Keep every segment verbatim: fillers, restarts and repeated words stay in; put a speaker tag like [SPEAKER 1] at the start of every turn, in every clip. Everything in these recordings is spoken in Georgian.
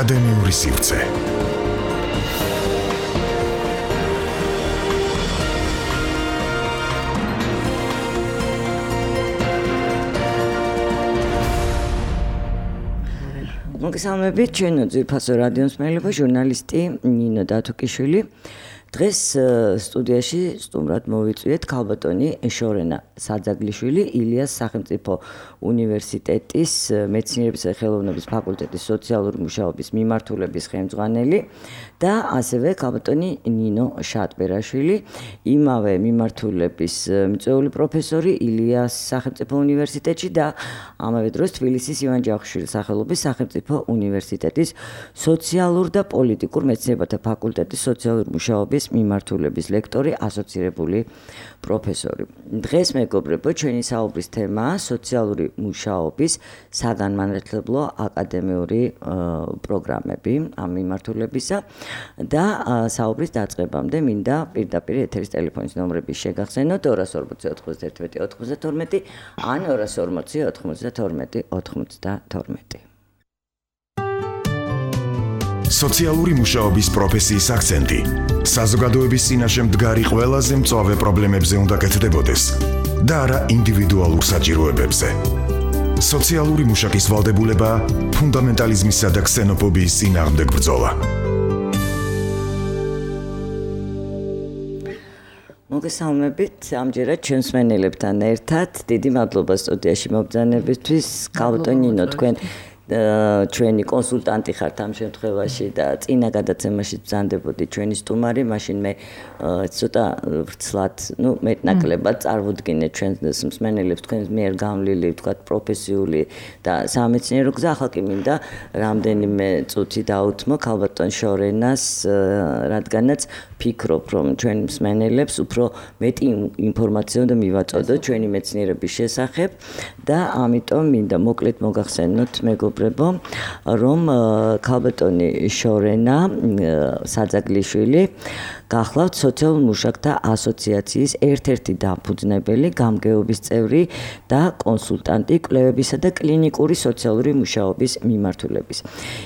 [SPEAKER 1] აკადემიური სივრცე.
[SPEAKER 2] მოგესალმებით, ჩვენო ძვირფასო რადიო მსმენელებო, ჟურნალისტი ნინო დათუკიშვილი. დღეს სტუდიაში სტუმრად მოვიწვიეთ ქალბატონი შორენა საძაგლიშვილი, ილიას სახელმწიფო უნივერსიტეტის მეცნიერებისა და ხელოვნების ფაკულტეტის სოციალური მუშაობის მიმართულების ხელმძღვანელი და ასევე ქალბატონი ნინო შატბერაშვილი, იმავე მიმართულების მიწვეული პროფესორი ილიას სახელმწიფო უნივერსიტეტში და ამავე დროს თბილისის ივან ჯავახიშვილის სახელობის სახელმწიფო უნივერსიტეტის სოციალურ და პოლიტიკურ მეცნიერებათა ფაკულტეტის სოციალური მუშაობის მიმართულების ლექტორი, ასოცირებული პროფესორი. დღეს მეგობრებო, ჩვენი საუბრის თემაა სოციალური მუშაობის საგანმანათლებლო აკადემიური პროგრამები ამ მიმართულებისა და საუბრის დაწყებამდე მინდა პირდაპირ ეთერის ტელეფონის ნომრების შეგახსენოთ ორას ორმოცი ოთხმოცდაერთმეტი ოთხმოცდათორმეტი ან ორას ორმოცი ოთხმოცდათორმეტი ოცდათორმეტი.
[SPEAKER 1] სოციალური მუშაობის პროფესიის აქცენტი საზოგადოების წინაშე მდგარი ყველაზე მწვავე პრობლემებზე უნდა კეთდებოდეს და არა ინდივიდუალურ საჭიროებებზე. სოციალური მუშაკის ვალდებულება ფუნდამენტალიზმისა და ქსენოფობიის წინააღმდეგ ბრძოლა.
[SPEAKER 2] მოგესალმებით, ამჯერად ჩვენს მსმენელებთან ერთად. დიდი მადლობა სტუდიაში მობრძანებისთვის. ქალბატონი ნინო, თქვენ ჩვენი კონსულტანტი ხართ ამ შემთხვევაში და წინა გადაცემაში ბრძანდებოდი ჩვენი სტუმარი, მაშინ მე ცოტა ვრცლად, ну, მეტნაკლებად წარვუდგინე ჩვენს მსმენელებს თქვენს მიერ გამლილი, ვთქვათ, პროფესიული და სამეცნიერო გზა. ახლა კი მინდა რამდენიმე წუთი დაუთმო ქალბატონ შორენას, რადგანაც ფიქრობ, რომ ჩვენი მსმენელებს უფრო მეტი ინფორმაცია უნდა მივაწოდოთ ჩვენი მეცნიერების შესახებ და ამიტომ მინდა მოკლედ მოგახსენოთ მეგობრებო, რომ ქალბატონი შორენა საძაგლიშვილი გახლავთ სოციალურ მუშაკთა ასოციაციის ერთ-ერთი დამფუძნებელი, გამგეობის წევრი და კონსულტანტი კვლევებისა და კლინიკური სოციალური მუშაობის მიმართულების.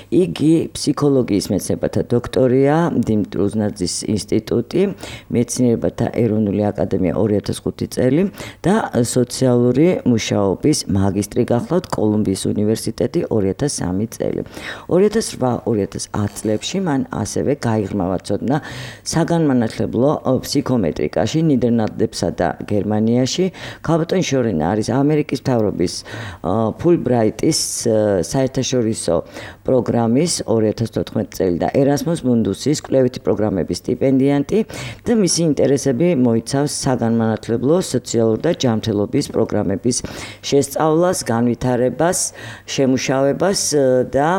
[SPEAKER 2] იგი ფსიქოლოგიის მეცნიერებათა დოქტორია, დიმიტრი უზნაძის ინსტიტუტი, მეცნიერებათა ეროვნული აკადემია ორი ათას ხუთი წელი და სოციალური მუშაობის მაგისტრი გახლავთ კოლუმბიის უნივერსიტეტი ორი ათას სამი წელი. ორი ათას რვა ორი ათას ათი წლებში მან ასევე გაიღრმავა ცოდნა საგანმანათლებლო ფსიქომეტრიკაში ნიდერლანდებსა და გერმანიაში. ქალბატონი შორენა არის ამერიკის მთავრობის ფულბრაიტის საერთაშორისო პროგრამის ორი ათას თოთხმეტი წელი და ერასმუს მუნდუსის კვლევითი პროგრამების სტიპენდიანტი და მისი ინტერესები მოიცავს საგანმანათლებლო, სოციალურ და ჯანმრთელობის პროგრამების შესწავლას, განვითარებას, შემუშავებას და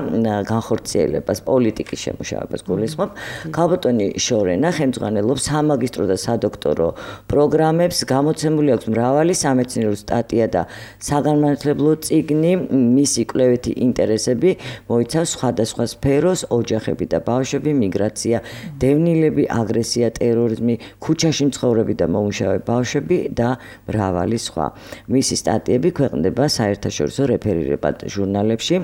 [SPEAKER 2] განხორციელებას, პოლიტიკის შემუშავებას გულისხმობ. ქალბატონი შორენა ხელმძღვანელობს სამაგისტრო და სადოქტორო პროგრამებს, გამოცემული აქვს მრავალი სამეცნიერო სტატია და საგანმანათლებლო წიგნი. მისი კვლევითი ინტერესები მოიცავს სხვადასხვა სფეროს, ოჯახები და ბავშვები, მიგრაცია, დევნილები, აგრესია, ტერორიზმი, ქუჩაში მცხოვრები და მომუშავე ბავშვები და მრავალი სხვა. მისი სტატიები ქვეყნდება საერთაშორისო რეფერირებად ჟურნალებში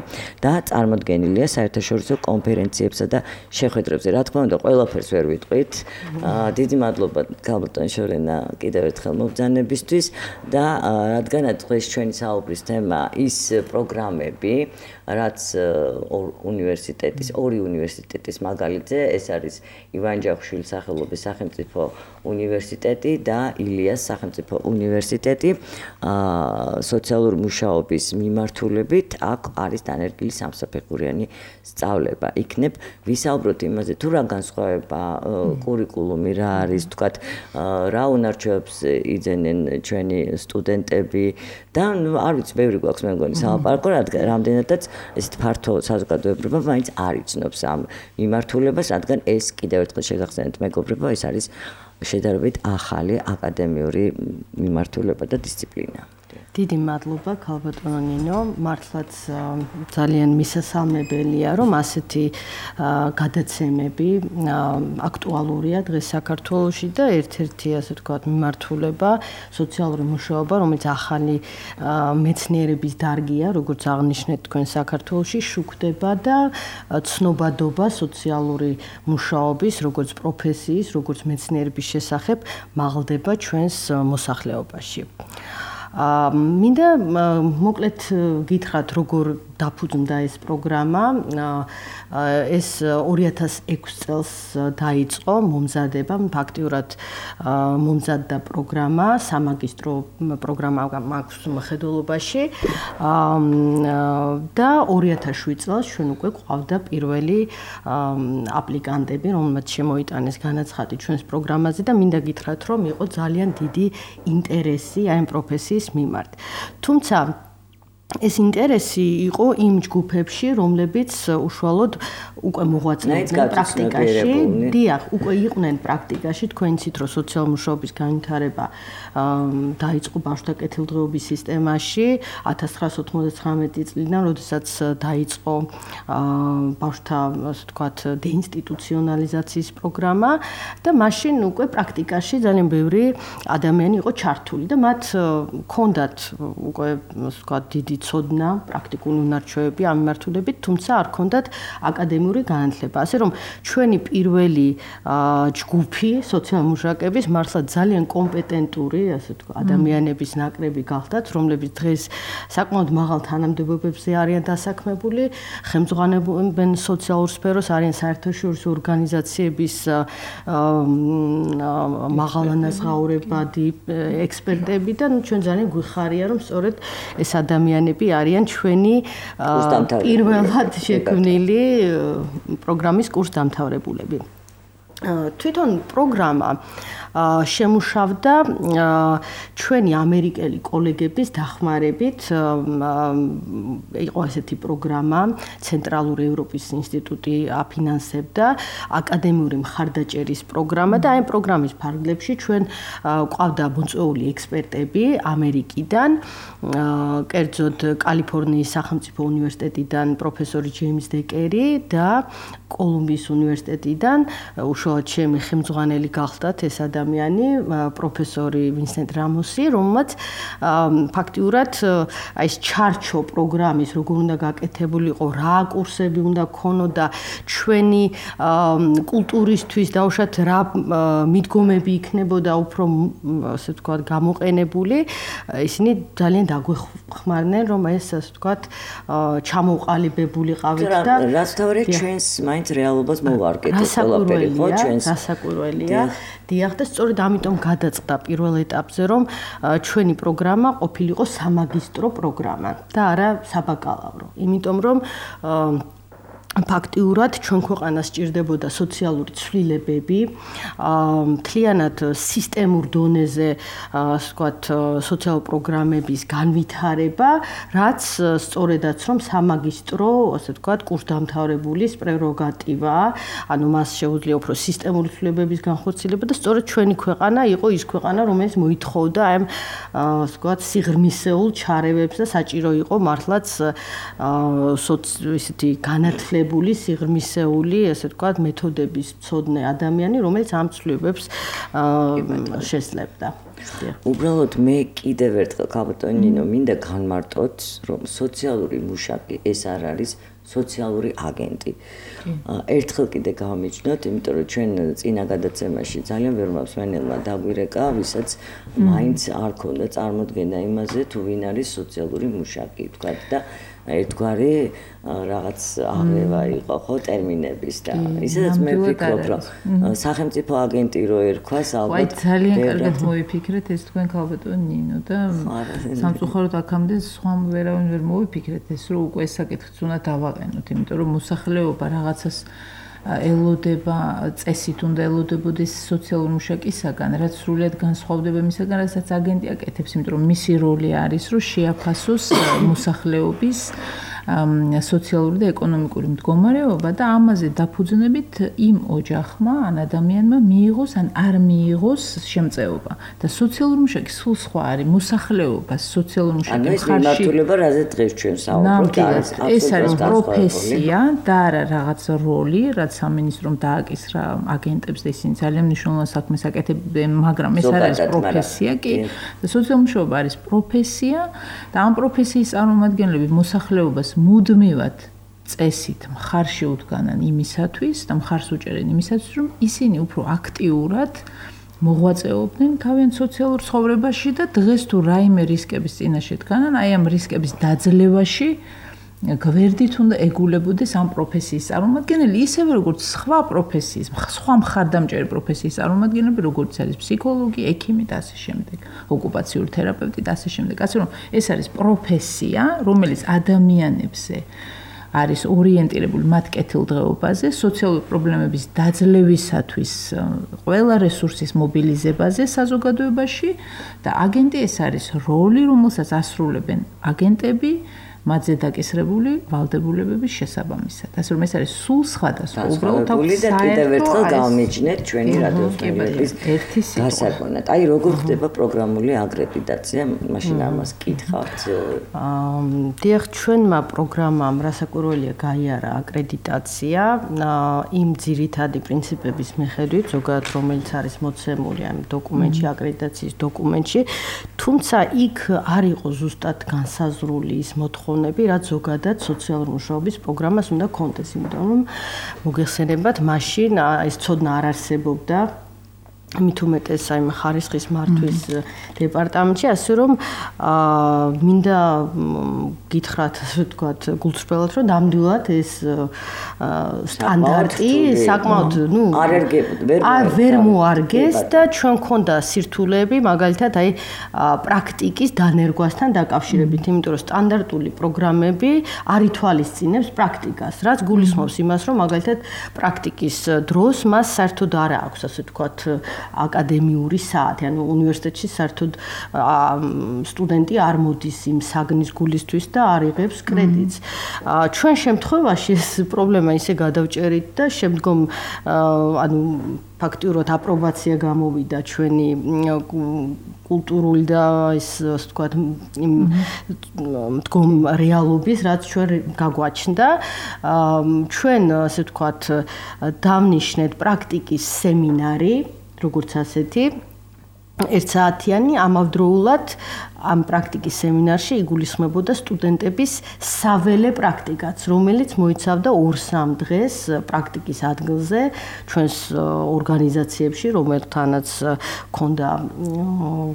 [SPEAKER 2] და წარმოდგენილია საერთაშორისო კონფერენციებსა და შეხვედრებზე. რა თქმა უნდა, ყველაფერს ვერ ვიტყვით. დიდი მადლობა ქალბატონ შორენა კიდევ ერთხელ მობრძანებისთვის და რადგანაც დღეს ჩვენი საუბრის თემა ის პროგრამები, რაც უნივერსიტეტის, ორი უნივერსიტეტის მაგალითზე, ეს არის ივან ჯავახიშვილის სახელობის სახელმწიფო უნივერსიტეტი და ილიას სახელმწიფო უნივერსიტეტი, სოციალური მუშაობის მიმართულებით აქ არის დანერგილი სამსაფეხურიანი სწავლება. იქნებ ვისაუბროთ იმაზე, თუ რა განსხვავება კურიკულუმი რა არის, თქვათ, რა უნარჩვევებს იძენენ ჩვენი სტუდენტები და არ ვიცი, ბევრი გვაქვს მე მგონი სალაპარაკო, რადგან რამდენადაც ესეთ ფართო საზოგადოება მაინც არ იცნობს ამ მიმართულებას, რადგან ეს კიდევ ერთხელ შეგახსენეთ მეგობრებო, ეს არის შედარებით ახალი აკადემიური მიმართულება და დისციპლინა.
[SPEAKER 3] დიდი მადლობა ქალბატონო ნინო, მართლაც ძალიან მისასალმებელია, რომ ასეთი გადაცემები აქტუალურია დღეს საქართველოში და ერთ-ერთი ასე ვთქვათ მიმართულება სოციალური მუშაობა, რომელიც ახალი მეცნიერების დარგია, როგორც აღნიშნეთ თქვენ საქართველოში, შუქდება და ცნობადობა სოციალური მუშაობის, როგორც პროფესიის, როგორც მეცნიერების შესახებ მაღლდება ჩვენს მოსახლეობაში. მინდა მოკლედ გითხრათ, როგორ დაფუძნდა ეს პროგრამა. ეს ორი ათას ექვსი წელს დაიწყო მომზადება, ფაქტიურად მომზადდა პროგრამა, სამაგისტრო პროგრამა მაქვს მხედველობაში და ორი ათას შვიდ წელს ჩვენ უკვე გვყავდა პირველი აპლიკანტები, რომელმაც შემოიტანეს განაცხადი ჩვენს პროგრამაზე და მინდა გითხრათ, რომ იყო ძალიან დიდი ინტერესი აი ამ პროფესიის მიმართ. თუმცა ეს ინტერესი იყო იმ ჯგუფებში, რომლებიც უშუალოდ უკვე მოღვაწეობდნენ პრაქტიკაში. დიახ, უკვე იყვნენ პრაქტიკაში, თქვენ იცით, რომ სოციალურ მუშაობის განვითარება დაიწყო ბავშვთა კეთილდღეობის სისტემაში ათას ცხრაასი ოთხმოცდათხრამეტი წლიდან, როდესაც დაიწყო ბავშვთა, ასე ვთქვათ, დეინსტიტუციონალიზაციის პროგრამა და მაშინ უკვე პრაქტიკაში ძალიან ბევრი ადამიანი იყო ჩართული და მათ ჰქონდათ უკვე, ასე ვთქვათ, დიდი ცოდნა, პრაქტიკული უნარჩვევები ამ მიმართულებით, თუმცა არ ჰქონდათ აკადემიური განათლება. ასე რომ ჩვენი პირველი ჯგუფი სოციალურ მუშაკების მართლა ძალიან კომპეტენტური, ასე ვთქვათ, ადამიანების ნაკრები გახდათ, რომლებიც დღეს საკმაოდ მაღალ თანამდებობებზე არიან დასაქმებული, ხელმძღვანელობენ სოციალურ სფეროს, არიან საერთაშორისო ორგანიზაციების მაღალანაზღაურებადი ექსპერტები და ჩვენ ძალიან გვიხარია, რომ სწორედ ეს ადამიანები არიან ჩვენი პირველად შექმნილი პროგრამის კურსდამთავრებულები. თვითონ პროგრამა შემუშავდა ჩვენი ამერიკელი კოლეგების დახმარებით. იყო ესეთი პროგრამა, ცენტრალური ევროპის ინსტიტუტი აფინანსებდა აკადემიური მხარდაჭერის პროგრამა და აი პროგრამის ფარგლებში ჩვენ გვყავდა მოწვეული ექსპერტები ამერიკიდან, კერძოდ კალიფორნიის სახელმწიფო უნივერსიტეტიდან პროფესორი ჯეიმს დეკერი და კოლუმბიის უნივერსიტეტიდან უშუალოდ ჩემი ხელმძღვანელი გახდათ ეს ადამიანი, პროფესორი ვინსენტ რამოსი, რომელმაც ფაქტიურად აი ეს ჩარჩო პროგრამის როგორ უნდა გაკეთებულიყო, რა კურსები უნდა ქონოდა ჩვენი კულტურისთვის დაუშვათ რა მიდგომები იქნებოდა უფრო ასე ვთქვათ გამოყენებული, ისინი ძალიან დაგვეხმარნენ, რომ ეს ასე ვთქვათ ჩამოყალიბებულიყავით და
[SPEAKER 2] რაც თავი ჩვენს მაინც რეალობას მოვარგეთ ეს ყველაფერი ხო ჩვენს
[SPEAKER 3] გასაკვირველია. დიახ და სწორედ ამიტომ გადაწყდა პირველ ეტაპზე, რომ ჩვენი პროგრამა ყოფილიყო სამაგისტრო პროგრამა და არა საბაკალავრო. იმიტომ რომ ფაქტიურად ჩვენ ქვეყანას სჭირდებოდა სოციალური ცვლილებები, მთლიანად სისტემურ დონეზე, ასე ვთქვათ, სოციალურ პროგრამების განვითარება, რაც სწორედაც რომ სამაგისტრო, ასე ვთქვათ, კურსდამთავრებულის პრეროგატივაა, ანუ მას შეუძლია უფრო სისტემური ცვლილებების განხორციელება და სწორედ ჩვენი ქვეყანა იყო ის ქვეყანა, რომელიც მოითხოვდა აი ამ, ასე ვთქვათ, სიღრმისეულ ჩარევებს და საჭირო იყო მართლაც ისეთი განათლება სიღრმისეული, ასე ვთქვათ, მეთოდების მცოდნე ადამიანი, რომელიც ამ ცვლილებებს შესწლებდა.
[SPEAKER 2] უბრალოდ მე კიდევ ერთხელ ქალბატონო ნინო მინდა განმარტოთ, რომ სოციალური მუშაკი ეს არ არის სოციალური აგენტი. ერთხელ კიდე გავამიჯნოთ, იმიტომ რომ ჩვენ წინა გადაცემაში ძალიან ბევრ მსმენელმა დაგვირეკა, ვისაც მაინც არ ქონდა წარმოდგენა იმაზე, თუ ვინ არის სოციალური მუშაკი, ვთქვათ და ერთგვარი რაღაც აღება იყო ხო ტერმინების და ისედაც მე ვფიქრობ რომ სახელმწიფო აგენტი რო ერქვას ალბათ
[SPEAKER 4] ძალიან კარგად მოიფიქრეთ ეს თქვენ ქალბატონო ნინო და სამწუხაროდ აქამდე სხვა ვერავინ ვერ მოიფიქრეთ ეს რომ უკვე ეს საკითხიც უნდა დავაყენოთ, იმიტომ რომ მოსახლეობა რაღაცას ელოდება, წესით უნდა ელოდებოდეს სოციალურ მუშაკისაგან, რაც სრულიად განსხვავდება იმისაგან, რასაც აგენტი აკეთებს, იმიტომ რომ მისი როლი არის, რომ შეაფასოს მოსახლეობის სოციალური და ეკონომიკური მდგომარეობა და ამაზე დაფუძნებით იმ ოჯახმა ან ადამიანმა მიიღოს ან არ მიიღოს შემწეობა და სოციალური მუშაკი სულ სხვა არის მოსახლეობა სოციალური მუშაკი
[SPEAKER 2] ხარში ანუ ეს მიმართულება რაზე დღეს ჩვენ საუბრობთ
[SPEAKER 4] ეს არის პროფესია და არა რაღაც როლი რაც სამინისტრომ დააკისრა აგენტებს და ისინი ძალიან მნიშვნელოვან საქმეს აკეთებენ მაგრამ ეს არის პროფესია კი და სოციალური მუშაობა არის პროფესია და ამ პროფესიის წარმომადგენლები მოსახლეობას მუდმივად წესით მხარში უდგანან იმისათვის და მხარს უჭერენ იმისათვის რომ ისინი უფრო აქტიურად მოღვაწეობდნენ თავიანთ სოციალურ ცხოვრებაში და დღეს თუ რაიმე რისკების წინაშე დგანან აი ამ რისკების დაძლევაში გვერდით უნდა ეგულებოდეს ამ პროფესიის წარმომადგენელი ისევე როგორც სხვა პროფესიის სხვა მხარდამჭერი პროფესიის წარმომადგენლები როგორც არის ფსიქოლოგი, ექიმი და ასე შემდეგ, ოკუპაციური თერაპევტი და ასე შემდეგ. ასე რომ ეს არის პროფესია, რომელიც ადამიანებზე არის ორიენტირებული მათ კეთილდღეობაზე, სოციალური პრობლემების დაძლევისათვის ყველა რესურსის მობილიზებაზე საზოგადოებაში და აგენტი ეს არის როლი, რომელსაც ასრულებენ აგენტები მათზე დაკისრებული ვალდებულებების შესაბამისად. ასე რომ ეს არის სულ სხვადასხვა.
[SPEAKER 2] უბრალოდ აქვს და კიდევ ერთხელ გავმიჯნეთ ჩვენი რადიოსმენების გასაგონად. აი როგორ ხდება პროგრამული აკრედიტაცია? მაშინ ამას კითხავთ.
[SPEAKER 3] აა დიახ, ჩვენმა პროგრამამ რასაკვირველია გაიარა აკრედიტაცია იმ ძირითადი პრინციპების მიხედვით, ზოგადად რომელიც არის მოცემული ამ დოკუმენტში, აკრედიტაციის დოკუმენტში, თუმცა იქ არ იყო ზუსტად განსაზღვრული ის მოთხოვნა რაც ზოგადად სოციალური მუშაობის პროგრამას უნდა კონდეს, იმიტომ რომ მოგეხსენებათ, მაშინ ეს ცოდნა არ არსებობდა მით უმეტეს აი ხარისხის მართვის დეპარტამენტში, ასე რომ მინდა გითხრათ, ასე ვთქვათ, გულწრფელად, რომ ნამდვილად ეს სტანდარტი საკმაოდ, ნუ არ ვერ მოარგეს და ჩვენ მქონდა სირთულეები, მაგალითად, აი პრაქტიკის დანერგვასთან დაკავშირებით, იმიტომ რომ სტანდარტული პროგრამები არ ითვალისწინებს პრაქტიკას, რაც გულისხმობს იმას, რომ მაგალითად პრაქტიკის დროს მას საერთოდ არ აქვს, ასე ვთქვათ, აკადემიური საათი, ანუ უნივერსიტეტში საერთოდ სტუდენტი არ მოდის იმ საგნის გულისთვის და არ იღებს კრედიტს. ჩვენ შემთხვევაში ეს პრობლემა ისე გადავჭერით და შემდგომ ანუ ფაქტიურად აპრობაცია გამოვიდა ჩვენი კულტურული და ის ასე ვთქვათ მდგომ რეალობის, რაც ჩვენ გაგვაჩნდა. ჩვენ ასე ვთქვათ დავნიშნეთ პრაქტიკის სემინარი როგორც ასეთი ერთსაათიანი ამავდროულად ამ პრაქტიკის სემინარში იგულისხმებოდა სტუდენტების საველე პრაქტიკაც, რომელიც მოიცავდა ორ-სამ დღეს პრაქტიკის ადგილზე ჩვენს ორგანიზაციებში, რომელთანაც ჰქონდა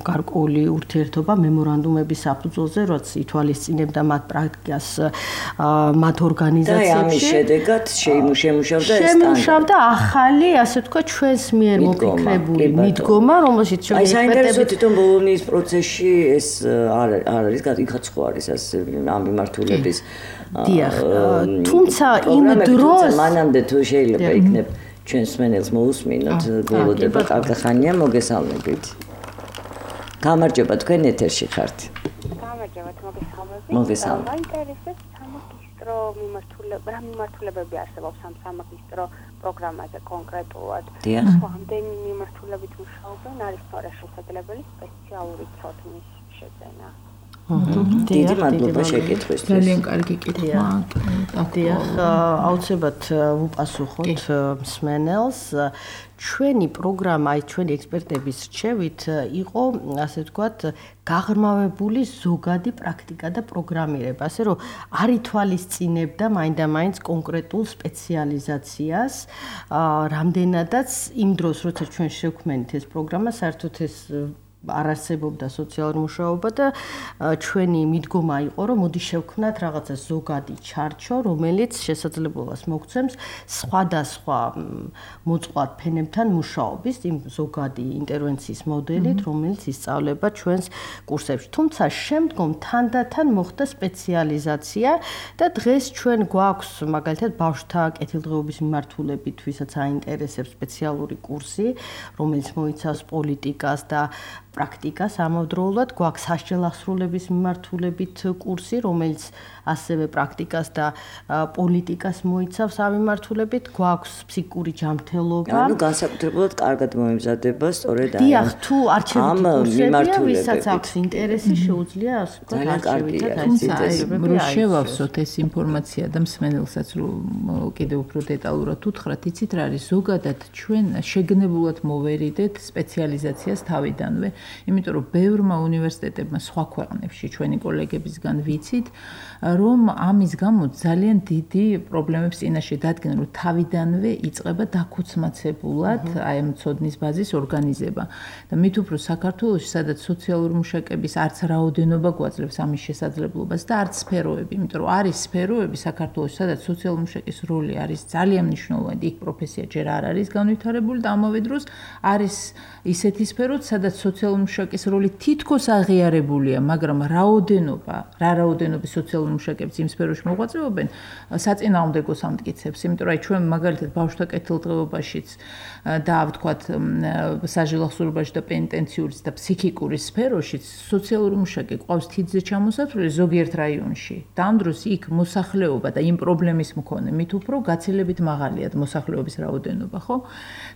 [SPEAKER 3] გარკვეული ურთიერთობა მემორანდუმების საფუძველზე, რაც ითვალისწინებდა მათ პრაქტიკას მათ ორგანიზაციებში.
[SPEAKER 2] და ამის შედეგად შეიმუშავდა ეს
[SPEAKER 3] შემუშავდა ახალი, ასე ვთქვათ, ჩვენს მიერ მოფიქრებული მიდგომა, რომელშიც ჩვენ
[SPEAKER 2] საინტერესო თვითონ ბოლონიის პროცესში ეს არ არის იქაც ხო არის ასე ამ მიმართულების
[SPEAKER 3] დიახ თუმცა იმ დროს
[SPEAKER 2] მანამდე თუ შეიძლება იქნებ ჩვენს მენელს მოусმინოთ გულოდება კარგახანია მოგესალმებით გამარჯობა თქვენ ეთერში ხართ
[SPEAKER 5] გამარჯობა მოგესალმებით
[SPEAKER 2] მოგესალმებით
[SPEAKER 5] მაინტერესებს სამაგისტრო მიმართულება რა მიმართულებები არსებობს ამ სამაგისტრო პროგრამაზე კონკრეტულად რამდენი მიმართულებით მუშაობენ არის თორე შესაძლებელი სპეციალური ცოდნის შეძენა
[SPEAKER 2] დიდი მადლობა შეკითხვისთვის
[SPEAKER 4] ძალიან კარგი კითხვა
[SPEAKER 3] დიახ აუცილებლად ვუპასუხოთ მსმენელს ჩვენი პროგრამა აი ჩვენი ექსპერტების რჩევით იყო ასე ვთქვათ გაღრმავებული ზოგადი პრაქტიკა და პროგრამირება ასე რომ არ ითვალისწინებდა მაინდა-მაინც კონკრეტულ სპეციალიზაციას რამდენადაც იმ დროს როცა ჩვენ შევქმნით ეს პროგრამა საერთოდ ეს არ არსებობდა სოციალური მუშაობა და ჩვენი მიდგომა იყო რომ მოდი შევქმნათ რაღაცა ზოგადი ჩარჩო რომელიც შესაძლებლობას მოგცემს სხვადასხვა მოწყვლად ფენებთან მუშაობის იმ ზოგადი ინტერვენციის მოდელით რომელიც ისწავლება ჩვენს კურსებში თუმცა შემდგომ თანდათან მოხდა სპეციალიზაცია და დღეს ჩვენ გვაქვს მაგალითად ბავშვთა კეთილდღეობის მიმართულებით ვისაც აინტერესებს სპეციალური კურსი რომელიც მოიცავს პოლიტიკას და პრაქტიკას ამავდროულად, გვაქვს სასჯელახსრულების მიმართულებით კურსი, რომელიც ასევე პრაქტიკას და პოლიტიკას მოიცავს ამ მიმართულებით, გვაქვს ფსიქიკური ჯანმრთელობა.
[SPEAKER 2] ანუ განსაკუთრებულად კარგად მოემზადება სწორედ
[SPEAKER 3] აი ამ თუ არჩევითი კურსებია, ვისაც აქვს ინტერესი, შეუძლია ასე ვთქვათ არჩევითად
[SPEAKER 4] აიცელებები. რომ შევავსოთ ეს ინფორმაცია და მსმენელსაც რომ კიდევ უფრო დეტალურად უთხრათ, იცით რა არის ზოგადად ჩვენ შეგნებულად მოვერიდეთ სპეციალიზაციას თავიდანვე, იმიტომ რომ ბევრმა უნივერსიტეტებმა სხვა ქვეყნებში ჩვენი კოლეგებისგან ვიცით, რომ ამის გამო ძალიან დიდი პრობლემებს წინაშე დადგენ, რომ თავიდანვე იწყება დაქუცმაცებულად აი ამ ცოდნის ბაზის ორგანიზება. და მით უფრო საქართველოში, სადაც სოციალური მუშაკების არც რაოდენობა გვაძლევს ამის შესაძლებლობას და არც სფეროები, იმიტომ რომ არის სფეროები საქართველოში, სადაც სოციალური მუშაკის როლი არის ძალიან მნიშვნელოვანი, იქ პროფესია ჯერ არ არის განვითარებული და ამავე დროს არის ისეთი სფეროც, სადაც სოციალური მუშაკის როლი თითქოს აღიარებულია, მაგრამ რაოდენობა, რა რაოდენობის სოციალური მუშაკებს იმ სფეროში მოღვაწეობენ, საწინააღმდეგოს ამტკიცებს, იმიტომ რომ აი ჩვენ მაგალითად ბავშვთა კეთილდღეობაშიც და ვთქვათ საჯელახსოვრობაში და პენიტენციურის და ფსიქიკური სფეროშიც სოციალური მუშაკი ყავს თითზე ჩამოსათვლელი ზოგიერთ რაიონში. და ამ დროს იქ მოსახლეობა და იმ პრობლემის მქონე მით უფრო გაცილებით მაღალია მოსახლეობის რაოდენობა, ხო?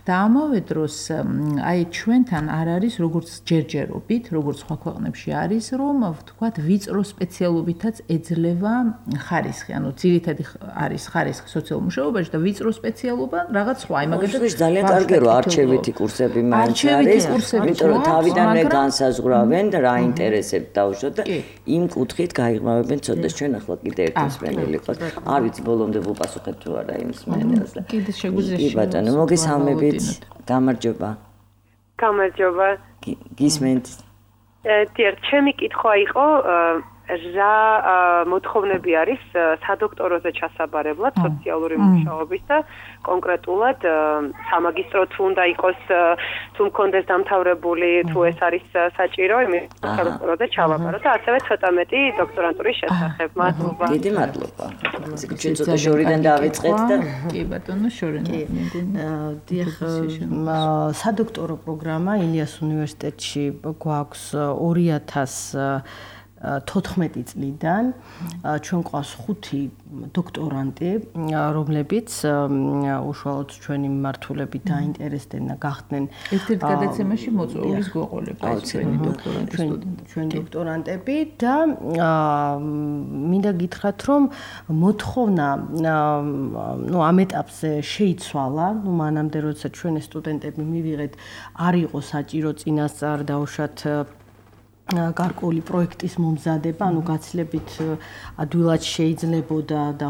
[SPEAKER 4] და ამავე დროს აი ჩვენთან არ არის როგორც ჯერჯერობით, როგორც სხვა ქვეყნებში არის, რომ ვთქვათ ვიწრო სპეციალობითაც ეძლევა ხარისხი, ანუ ძირითადი არის ხარისხი სოციალურ მუშაობაში და ვიწრო სპეციალობა რაღაც სხვა, აი მაგალითად
[SPEAKER 2] ძალიან კარგი რომ არჩევითი კურსები მაინც არის, იმიტომ რომ თავიდანვე განსაზღვრავენ რა ინტერესებს დაუშვათ და იმ კუთხით გაიღმავებენ ცოდნას. ჩვენ ახლა კიდე ერთ მსმენელი ყავს. არ ვიცი ბოლომდე ვუპასუხებ თუ არა იმ მსმენელს და
[SPEAKER 4] კიდე შეგვიძლია
[SPEAKER 2] კი ბატონო, მოგესალმებით. გამარჯობა.
[SPEAKER 5] გამარჯობა.
[SPEAKER 2] გისმენთ.
[SPEAKER 5] დიახ, ჩემი კითხვა იყო რა მოთხოვნები არის სადოქტოროზე ჩასაბარებლად სოციალური მუშაობის და კონკრეტულად სამაგისტრო თუ უნდა იყოს თუ მქონდეს დამთავრებული თუ ეს არის საჭირო იმის სადოქტოროზე ჩავაბარო და ასევე ცოტა მეტი დოქტორანტურის შესახებ. მადლობა.
[SPEAKER 2] დიდი მადლობა. ჩვენ ცოტა შორიდან დავიწყეთ და
[SPEAKER 4] კი ბატონო შორიდან.
[SPEAKER 3] დიახ, სადოქტორო პროგრამა ილიას უნივერსიტეტში გვაქვს ორი ათას თოთხმეტი წლიდან ჩვენ ყავს ხუთი დოქტორანტი, რომლებიც უშუალოდ ჩვენი მიმართულებით დაინტერესდნენ და გახდნენ
[SPEAKER 4] ერთ-ერთ გადაცემაში მოწვეულის გვეყოლება ჩვენი დოქტორანტი სტუდენტები.
[SPEAKER 3] ჩვენი დოქტორანტები და მინდა გითხრათ, რომ მოთხოვნა ნუ ამ ეტაპზე შეიცვალა, ნუ მანამდე როცა ჩვენ სტუდენტები მივიღეთ, არ იყო საჭირო წინასწარ დაუშვათ გარკვეული პროექტის მომზადება, ანუ გაცილებით ადვილად შეიძლებოდა და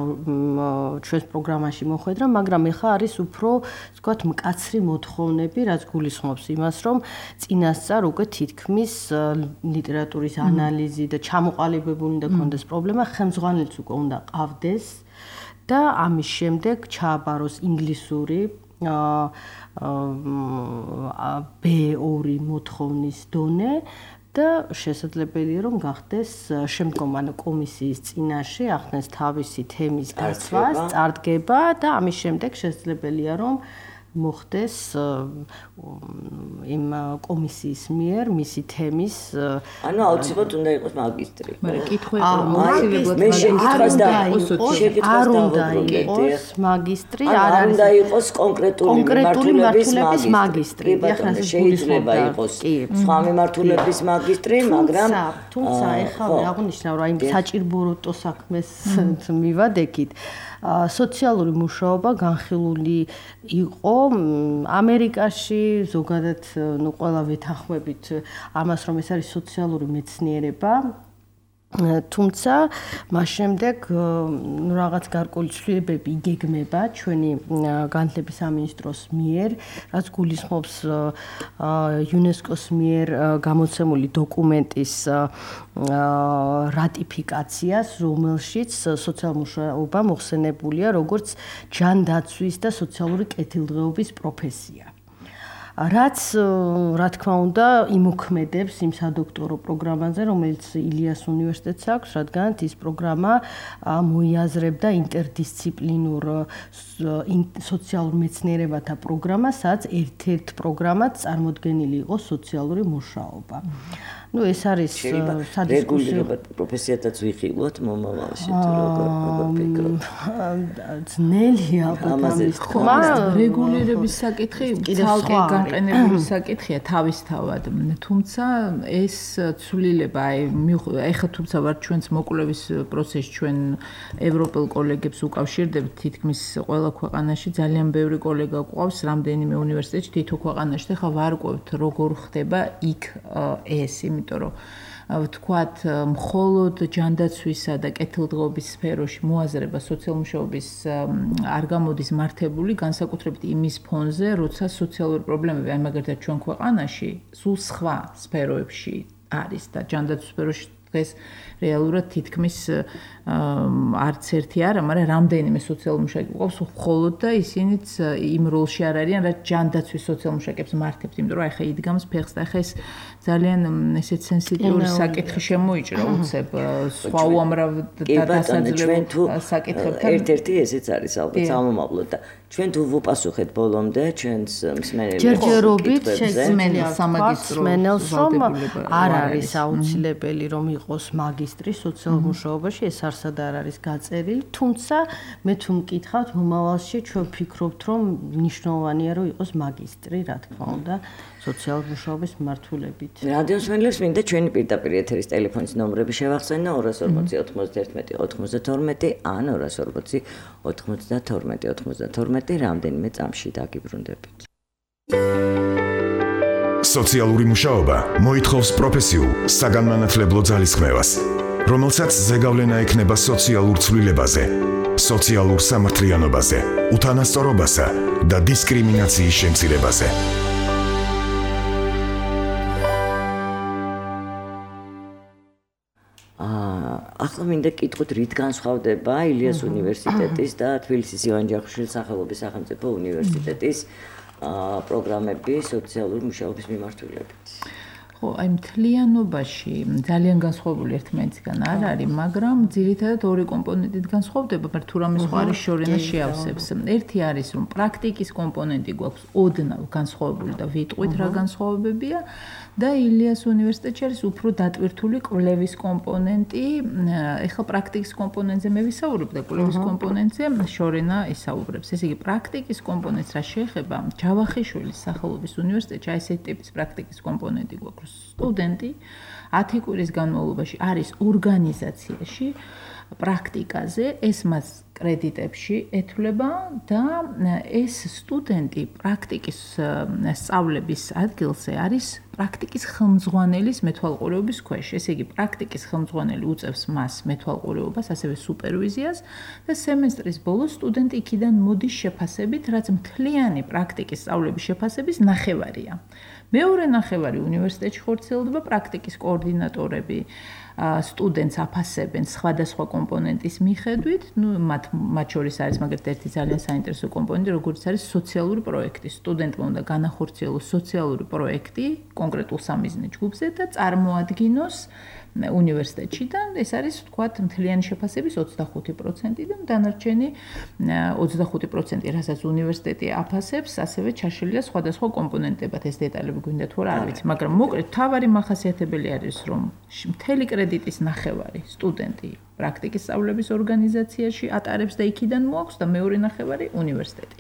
[SPEAKER 3] ჩვენს პროგრამაში მოხვედრა, მაგრამ ეხლა არის უფრო, ვთქვათ, მკაცრი მოთხოვნები, რაც გულისხმობს იმას, რომ წინასწარ უკვე თითქმის ლიტერატურის ანალიზი და ჩამოყალიბებული უნდა კონდეს პრობლემა, ხელმძღვანელიც უკვე უნდა ყავდეს და ამის შემდეგ ჩააბაროს ინგლისური ბ ორი მოთხოვნის დონე და შესაძლებელია რომ გახდეს შემდგომ ანუ კომისიის წინაშე ახდენს თავისი თემის გაცვლას, წარდგება და ამის შემდეგ შესაძლებელია რომ მოხდეს იმ კომისიის მიერ მისი თემის
[SPEAKER 2] ანუ აუცილებლად უნდა იყოს მაგისტრი.
[SPEAKER 4] მაგრამ კითხვა
[SPEAKER 2] მე შეკითხვას და
[SPEAKER 3] არ უნდა იყოს მაგისტრი,
[SPEAKER 2] არ უნდა იყოს კონკრეტული მიმართულების მაგისტრი.
[SPEAKER 3] ახლა
[SPEAKER 2] შეიძლება იყოს სხვა მიმართულების მაგისტრი, მაგრამ
[SPEAKER 3] თუმცა ეხლა აღნიშნავ რა იმ საჭიროებო საქმეს მივადექით. სოციალური მუშაობა განხილული იყო ამერიკაში, ზოგადად ნუ ყველა ვეთანხმებით ამას, რომ ეს არის სოციალური მეცნიერება. თუმცა მას შემდეგ ნუ რაღაც გარკვეული ცვლილებები იგეგმება ჩვენი განათლების სამინისტროს მიერ, რაც გულისხმობს იუნესკოს მიერ გამოცემული დოკუმენტის რატიფიკაციას, რომელშიც სოციალური მუშაობა მოხსენებულია როგორც ჯანდაცვის და სოციალური კეთილდღეობის პროფესია. რაც რა თქმა უნდა იმოქმედებს იმ სადოქტორო პროგრამაზე, რომელიც ილიას უნივერსიტეტს აქვს, რადგან ის პროგრამა მოიაზრებდა ინტერდისციპლინურ სოციალურ მეცნიერებათა პროგრამას, სადაც ერთ-ერთ პროგრამად წარმოდგენილი იყო სოციალური მუშაობა. Ну, ეს არის
[SPEAKER 2] სადისკუსიო პროფესიათაც ვიხილოთ მომავალში თუ როგორ როგორ ფიქრობთ.
[SPEAKER 3] ძნელია ამას
[SPEAKER 4] თქმა, რეგულირების საკითხი ცალკე განყენებული საკითხია თავისთავად. თუმცა ეს ცვლილება, აი ეხლა თუმცა ვარ ჩვენს მოკვლევის პროცესში ჩვენ ევროპელ კოლეგებს უკავშირდებთ თითქმის ყველა ქვეყანაში ძალიან ბევრი კოლეგა გვყავს რამდენიმე უნივერსიტეტში თითო ქვეყანაში და ხა ვარკვევთ როგორ ხდება იქ ეს იმიტომ რომ ვთქვათ მხოლოდ ჯანდაცვისა და კეთილდღეობის სფეროში მოაზრება სოციალმუშაობის არ გამოდის მართებული განსაკუთრებით იმის ფონზე როცა სოციალური პრობლემები აი მაგალითად ჩვენ ქვეყანაში სულ სხვა სფეროებში არის და ჯანდაცვის სფეროში დღეს რეალურად თითქმის არც ერთი არა, მაგრამ რამდენიმე სოციალური მუშაკი გვყავს მხოლოდ და ისინიც იმ როლში არ არიან, რაც ჯანდაცვის სოციალურ მუშაკებს მართებთ, იმიტომ რომ ახლა იდგამს ფეხს და ახლა ეს ძალიან ესეც სენსიტიური საკითხი შემოიჭრა უცებ სხვა უამრავ დასაძლევ საკითხებთან.
[SPEAKER 2] ერთ-ერთი ესეც არის ალბათ სამომავლოდ და ჩვენ თუ ვუპასუხეთ ბოლომდე ჩვენს მსმენელებს
[SPEAKER 3] ჯერჯერობით შესმენელს სამაგისტრო მსმენელს რომ არ არის აუცილებელი რომ იყოს მაგისტრი სოციალურ მუშაობაში ეს არსად არ არის გაწერილი, თუმცა მე თუ მკითხავთ მომავალში ჩვენ ვფიქრობთ რომ მნიშვნელოვანია რომ იყოს მაგისტრი, რა თქმა უნდა, სოციალურ მუშაობის მმართველობით.
[SPEAKER 2] რადიოს მსმენელებს მინდა ჩვენი პირდაპირ ეთერის ტელეფონის ნომრები შევახსენო ორას ორმოცი ოცდაერთმეტი ოცდაათმეტი ან ორას ორმოცი ოცდათორმეტი ოცდათორმეტი რამდენიმე წამში დაგიბრუნდებით.
[SPEAKER 1] სოციალური მუშაობა მოითხოვს პროფესიულ, საგანმანათლებლო ძალისხმევას, რომელსაც ზეგავლენა ექნება სოციალურ ცვლილებაზე, სოციალურ სამართლიანობაზე, უთანასწორობასა და დისკრიმინაციის შემცირებაზე.
[SPEAKER 2] ახლა მინდა კითხოთ რით განსხვავდება ილიას უნივერსიტეტის და თბილისის ივან ჯავახიშვილის სახელობის სახელმწიფო უნივერსიტეტის პროგრამები სოციალური მუშაობის მიმართულებით.
[SPEAKER 4] ხო, აი მთლიანობაში ძალიან განსხვავებული ერთმანეთისგან არ არის, მაგრამ ძირითადად ორი კომპონენტით განსხვავდება, მაგრამ თუ რამე სხვა არის შორენა შეავსებს. ერთი არის რომ პრაქტიკის კომპონენტი გვაქვს ოდნავ განსხვავებული და ვიტყვით რა განსხვავებებია და ილიას უნივერსიტეტში არის უფრო დატვირთული კვლევის კომპონენტი. ეხლა პრაქტიკის კომპონენტზე მე ვისაუბრებ და კვლევის კომპონენტზე შორენა ისაუბრებს. ესე იგი პრაქტიკის კომპონენტს რა შეეხება ჯავახიშვილის სახელობის უნივერსიტეტში აი ესეთი ტიპის პრაქტიკის კომპონენტი გვაქვს. სტუდენტი ათი კვირის განმავლობაში არის ორგანიზაციაში პრაქტიკაზე, ეს მას კრედიტებში ეთვლება და ეს სტუდენტი პრაქტიკის სწავლების ადგილზე არის პრაქტიკის ხელმძღვანელის მეთვალყურეობის ქვეშ. ესე იგი, პრაქტიკის ხელმძღვანელი უწევს მას მეთვალყურეობას, ასევე სუპერვიზიას და სემესტრის ბოლოს სტუდენტი იქიდან მოდის შეფასებით, რაც მთლიანი პრაქტიკის სწავლების შეფასების ნახევარია. მეორე ნახევარი უნივერსიტეტში ხორციელდება პრაქტიკის კოორდინატორები სტუდენტს აფასებენ სხვადასხვა კომპონენტის მიხედვით, ну, მათ მათ შორის არის მაგალითად ერთი ძალიან საინტერესო კომპონენტი, როგორც არის სოციალური პროექტი. სტუდენტმა უნდა განახორციელოს სოციალური პროექტი კონკრეტულ სამიზნე ჯგუფზე და წარმოადგინოს უნივერსიტეტში და ეს არის ვთქვათ მთლიანი შეფასების ოცდახუთი პროცენტი და დანარჩენი ოცდახუთი პროცენტი, რასაც უნივერსიტეტი აფასებს, ასევე ჩაშლილია სხვადასხვა კომპონენტებად. ეს დეტალები გვინდა თუ არა, არ ვიცი, მაგრამ მოკლედ თავარი მახასიათებელი არის, რომ მთელი კრედიტის ნახევარი სტუდენტი პრაქტიკის სწავლების ორგანიზაციაში ატარებს და იქიდან მოაქვს და მეორე ნახევარი უნივერსიტეტი.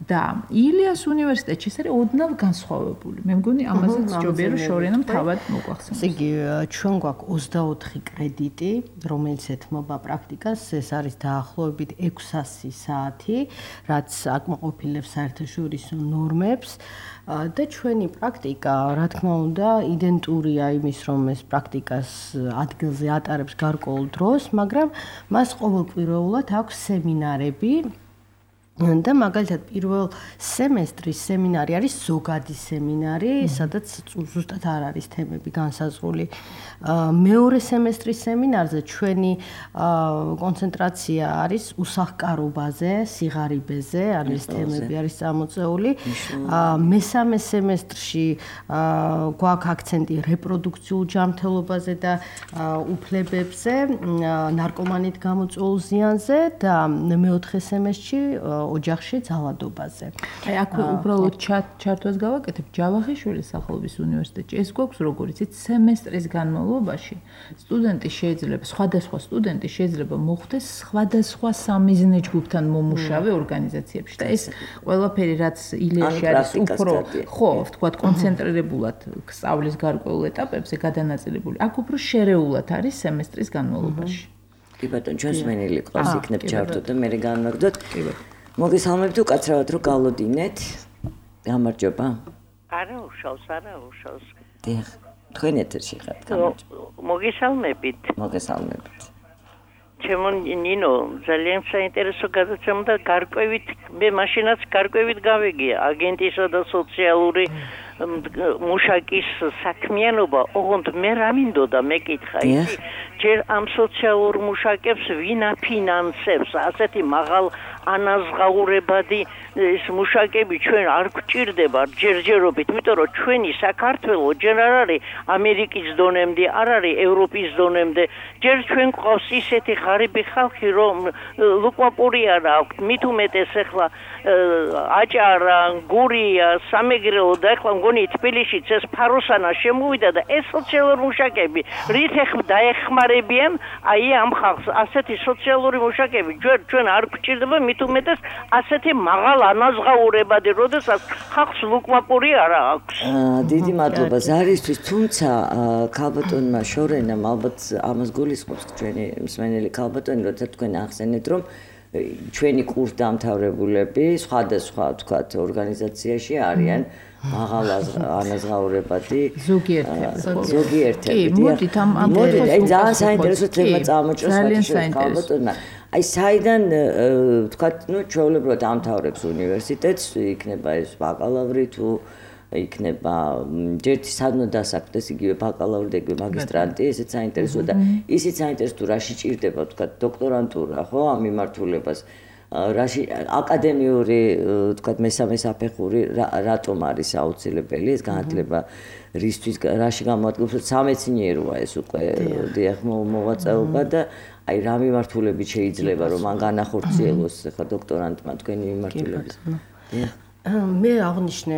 [SPEAKER 4] და ილიას უნივერსიტეტში ეს არის ოდნავ განსხვავებული. მე მგონი ამაზეც ჯობია რომ შორენამ თავად მოგვახსენოს.
[SPEAKER 3] ესე იგი ჩვენ გვაქვს ოცდაოთხი კრედიტი, რომელიც ეთმობა პრაქტიკას, ეს არის დაახლოებით ექვსასი საათი, რაც აკმაყოფილებს საერთაშორისო ნორმებს და ჩვენი პრაქტიკა, რა თქმა უნდა, იდენტურია იმის, რომ ეს პრაქტიკას ადგილზე ატარებს გარკვეულ დროს, მაგრამ მას ყოველკვირეულად აქვს სემინარები და მაგალითად პირველ სემესტრის სემინარი არის ზოგადი სემინარი, სადაც ზუსტად არ არის თემები განსაზღვრული. მეორე სემესტრის სემინარზე ჩვენი კონცენტრაცია არის უსახკარობაზე, სიღარიბეზე, არის თემები არის წამოწეული. მესამე სემესტრში გვაქვს აქცენტი რეპროდუქციულ ჯანმრთელობაზე და უფლებებზე, ნარკომანით გამოწვეულ ზიანზე და მეოთხე სემესტრში ოჯახში ძალადობაზე.
[SPEAKER 4] აი აქ უბრალოდ ჩართვას გავაკეთებ ჯავახიშვილის სახელობის უნივერსიტეტში. ეს გვაქვს როგორც იცით სემესტრის განმავლობაში სტუდენტი შეიძლება სხვადასხვა სტუდენტი შეიძლება მოხვდეს სხვადასხვა სამიზნე ჯგუფთან მომუშავე ორგანიზაციებში და ეს ყველაფერი რაც ილიაში არის უფრო ხო ვთქვათ კონცენტრირებულად სწავლის გარკვეულ ეტაპებზე გადანაწილებული. აქ უფრო შერეულად არის სემესტრის განმავლობაში.
[SPEAKER 2] კი ბატონო, ჩვენს მენელი ყავს იქნებ ჩართო და მე განმაგდოთ. კი ბატონო. მოგესალმებთ უკაცრავად რომ გავლოდინეთ. გამარჯობა.
[SPEAKER 6] არა უშავს, არა უშავს.
[SPEAKER 2] დიახ. თქვენ ეთერში ხართ.
[SPEAKER 6] მოგესალმებით.
[SPEAKER 2] მოგესალმებით.
[SPEAKER 6] ჩემო ნინო, ძალიან საინტერესო გადაცემა და გარკვევით მე მაშინაც გარკვევით გავიგია აგენტისა და სოციალური მუშაკის საქმიანობა. ოღონდ მე რა მინდოდა მეკითხა ისი ჯერ ამ სოციალურ მუშაკებს ვინ აფინანსებს ასეთი მაღალ ანაზღაურებადი ეს მუშაკები ჩვენ არ გვჭირდება ჯერჯერობით, იმიტომ რომ ჩვენი საქართველოს ჯერ არ არის ამერიკის დონემდე, არ არის ევროპის დონემდე. ჯერ ჩვენ გვყავს ისეთი ღარიბი ხალხი, რომ ლუკმაპური არ აქვს, მით უმეტეს ახლა აჭარა, გურია, სამეგრელო და ახლა მგონი თბილისშიც ეს ფაროსანა შემოვიდა და ეს სოციალური მუშაკები რით დაეხმარებიან აი ამ ხალხს. ასეთი სოციალური მუშაკები ჩვენ ჩვენ არ გვჭირდება, მით უმეტეს ასეთი მაღალ ანაზღაურებადი, როდესაც ხალხს ლუკმაპური არ აქვს.
[SPEAKER 2] დიდი მადლობა ზარისთვის, თუმცა ქალბატონმა შორენამ ალბათ ამას გულისხმობს ჩვენი მსმენელი ქალბატონი, როცა თქვენ ახსენეთ, რომ ჩვენი კურსდამთავრებულები სხვადასხვა თქვათ ორგანიზაციაში არიან მაღალ ანაზღაურებადი
[SPEAKER 4] ზოგიერთები.
[SPEAKER 2] ზოგიერთები.
[SPEAKER 4] კი, მოდით ამ ამ
[SPEAKER 2] ძალიან საინტერესო თემა წამოჭრა ქალბატონმა. აი საიდან თქვათ, ნუ ჩვეულებრივად ამთავრებს უნივერსიტეტს, იქნება ეს ბაკალავრი თუ იქნება ჯერთი სადმო დასაქმდეს იგივე ბაკალავრი და იგივე მაგისტრანტი, ესეც საინტერესოა და ისიც საინტერესო თუ რაში ჭირდება თქვათ დოქტორანტურა, ხო, ამ მიმართულებას. რაში აკადემიური თქვათ მესამე საფეხური რატომ არის აუცილებელი ეს განათლება რისთვის რაში გამოადგობს სამეცნიეროა ეს უკვე დიახ მოვაწეობა და აი რა მიმართულებით შეიძლება რომ მან განახორციელოს ხა დოქტორანტმა თქვენი მიმართულებით.
[SPEAKER 3] მე აღნიშნე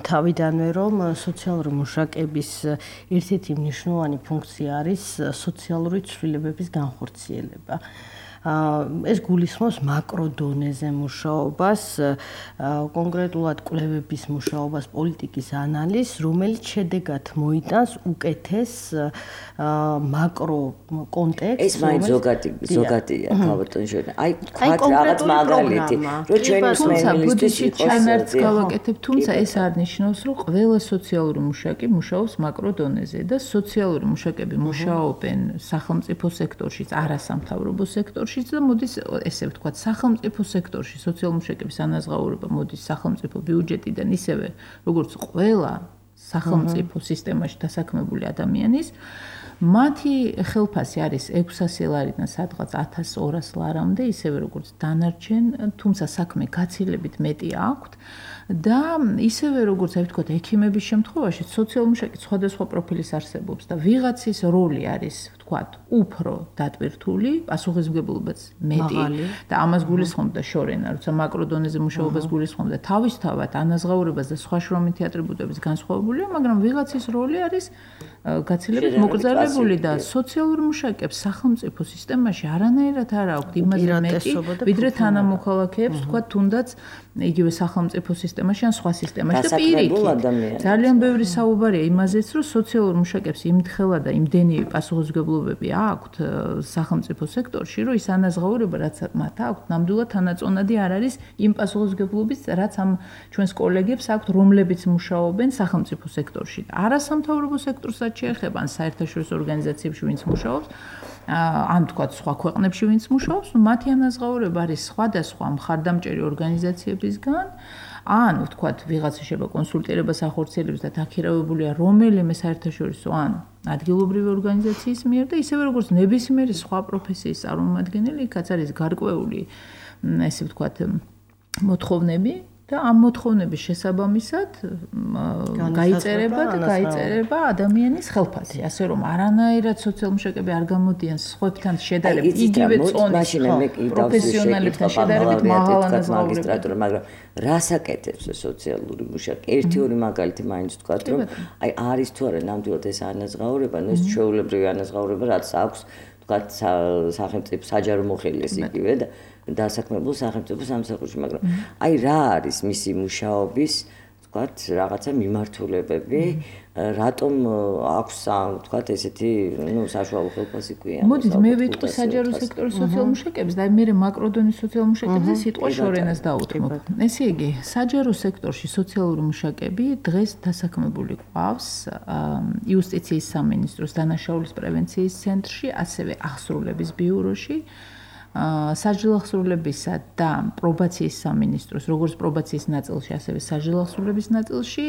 [SPEAKER 3] თავიდანვე რომ სოციალური მუშაკების ერთ-ერთი მნიშვნელოვანი ფუნქცია არის სოციალური ცვლილებების განხორციელება. ეს გულისხმობს მაკრო დონეზე მუშაობას, კონკრეტულად კვლევების მუშაობას, პოლიტიკის ანალიზს, რომელიც შედეგად მოიტანს უკეთეს მაკრო კონტექსტს.
[SPEAKER 2] ეს მაინც ზოგადი ზოგადია ქალბატონი შენ. აი თქვათ რაღაც მაგალითი, რომ ჩვენი მსმენელისთვის
[SPEAKER 4] ჩანარც გავაკეთებ, თუმცა ეს არ ნიშნავს, რომ ყველა სოციალური მუშაკი მუშაობს მაკრო დონეზე და სოციალური მუშაკები მუშაობენ სახელმწიფო სექტორშიც, არასამთავრობო სექტორში და მოდის ესე ვთქვათ სახელმწიფო სექტორში სოციალური მუშაკების ანაზღაურება მოდის სახელმწიფო ბიუჯეტიდან ისევე როგორც ყველა სახელმწიფო სისტემაში დასაქმებული ადამიანის მათი ხელფასი არის ექვსასი ლარიდან სადღაც ათას ორას ლარამდე ისევე როგორც დანარჩენ თუმცა საქმე გაცილებით მეტი აქვთ და ისევე როგორც აი ვთქვათ ექიმების შემთხვევაში სოციალური მუშაკი სხვადასხვა პროფილის არსებობს და ვიღაცის როლი არის ვთქვათ უფრო დატვირთული პასუხისმგებლობაც მეტი და ამას გულისხმობდა შორენა როცა მაკრო დონეზე მუშაობას გულისხმობდა თავისთავად ანაზღაურებას და სხვა შრომითი ატრიბუტების განსხვავებულია მაგრამ ვიღაცის როლი არის გაცილებით მოკრძალებული და სოციალური მუშაკებს სახელმწიფო სისტემაში არანაირად არ აქვთ იმაზე მეტი ვიდრე თანამოქალაქეებს ვთქვათ თუნდაც იგივე სახელმწიფო სისტემაში ან სხვა სისტემაში და პირიქით ძალიან ბევრი საუბარია იმაზეც რომ სოციალურ მუშაკებს იმთხელა და იმდენი პასუხისმგებლობები აქვთ სახელმწიფო სექტორში რომ ის ანაზღაურება რაც მათ აქვთ ნამდვილად თანაწონადი არ არის იმ პასუხისმგებლობის რაც ამ ჩვენს კოლეგებს აქვთ რომლებიც მუშაობენ სახელმწიფო სექტორში არასამთავრობო სექტორსაც შეეხება ან საერთაშორისო ორგანიზაციებში ვინც მუშაობს ან თქვა სხვა ქვეყნებში ვინც მუშაობს, მათი ანაზღაურება არის სხვადასხვა მხარდამჭერი ორგანიზაციებისგან, ან ვთქვათ, ვიღაცა შეიძლება კონსულტირებას ახორციელებს და დაქირავებულია რომელიმე საერთაშორისო ან ადგილობრივი ორგანიზაციის მიერ და ისევე როგორც ნებისმიერი სხვა პროფესიის წარმომადგენელი, იქაც არის გარკვეული, ესე ვთქვათ, მოთხოვნები და ამ მოთხოვნების შესაბამისად გაიწერება და გაიწერება ადამიანის ხელფასი, ასე რომ არანაირად სოციალურ-მშაკები არ გამოდიან სხვებთან შედარებით, იგივე წონის პროფესიონალებთან შედარებით მაღალ ანაზღაურებად,
[SPEAKER 2] მაგრამ რას აკეთებს სოციალური მუშაკი? ერთი-ორი მაგალითი მაინც ვთქვათ, რომ აი არის თუ არა ნამდვილად ეს ანაზღაურება, ნუ ეს ჩვეულებრივი ანაზღაურება, რაც აქვს ვთქვათ სახელმწიფო საჯარო მოხელის იგივე და დასაქმებულ სახელმწიფო სამსახურში, მაგრამ აი რა არის მისი მუშაობის, ვთქვათ, რაღაცა მიმართულებები, რატომ აქვს, ვთქვათ, ესეთი, ნუ საშუალო ხელფასი ქვია.
[SPEAKER 4] მოდით მე ვიტყვი საჯარო სექტორის სოციალურ მუშაკებს და მე მაკროდონის სოციალურ მუშაკებზე სიტყვა შორენას დაუთმობ. ესე იგი, საჯარო სექტორში სოციალური მუშაკები დღეს დასაქმებული ყავს იუსტიციის სამინისტროს დანაშაულის პრევენციის ცენტრში, ასევე აღსრულების ბიუროში. საჯილო აღსრულებისა და პრობაციის სამინისტროს, როგორც პრობაციის ნაწილში, ასევე საჯილო აღსრულების ნაწილში,